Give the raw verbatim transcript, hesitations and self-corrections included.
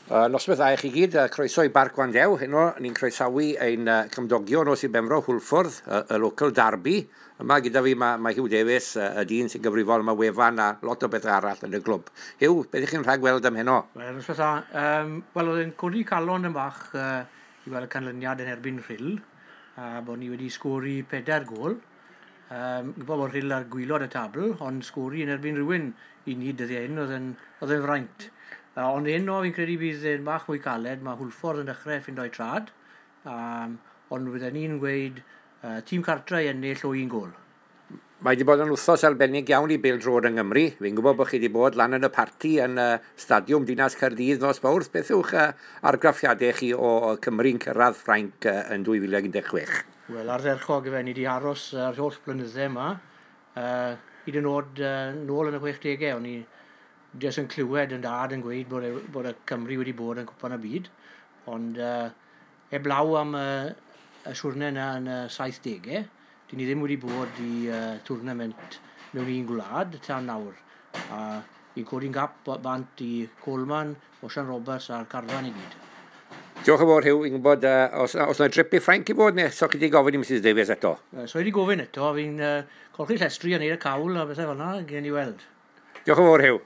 Uh, noswaith dda i chi gyd, uh, croeso i Barc Gwandew. Heno, ni'n croesawu ein uh, cymdogion o Sir Benfro, Hwlffordd, y, y local derby. Yma gyda fi mae, mae Hugh Davies, uh, y dyn sy'n gyfrifol am y wefan a lot o bethau arall yn y glwb. Hugh, beth ych chi'n rhagweld am heno? Wel, noswaith dda. Um, Wel, oedd e'n codi calon yn bach uh, i weld y canlyniad yn erbyn Rhyl, a bod ni wedi sgori pedair gôl. Um, gwybod bod Rhyl ar gwaelod y tabl, ond sgori yn erbyn rhywun i ni dyddiau hyn oedd yn, oedd yn fraint. Uh, ond heno fi'n credu bydd e'n bach mwy caled, mae Hwlffordd yn dechrau ffindo'i trad, um, ond bydden ni'n gweud uh, tîm cartre i ennill o un gôl. Mae wedi bod yn wythnos arbennig iawn i bêl-droed yng Nghymru. Fi'n gwybod bod chi wedi bod lan yn y parti yn uh, Stadiwm Dinas Caerdydd nos Fawrth. Beth yw'ch uh, argraffiadau chi o, o Cymru'n cyrraedd Ffrainc uh, yn dwy fil un deg chwech? Wel, ardderchog ife, ni wedi aros yr holl blynydde yma. Uh, hyd yn oed uh, nôl yn y chwechdegau, o'n i jyst yn clywed yn dad yn gweud bod, e, bod y Cymru wedi bod yn Cwpan y Byd. Ond uh, heblaw am uh, y siwrne yna yn y saithdegau, dyn ni ddim wedi bod i uh, tournament mewn un gwlad tan nawr. A fi'n codi'n gap bant i Coleman, Osian Roberts a'r carfan i gyd. Diolch yn fawr, Hugh. Fi'n gwybod, uh, os, os yna drip i Ffrainc i fod, neu so chi wedi gofyn i Mrs Davies eto? Uh, so i wedi gofyn eto, fi'n uh, colchi llestri a neud y cawl a bethau fel yna, gen i weld. Diolch yn fawr, Hugh.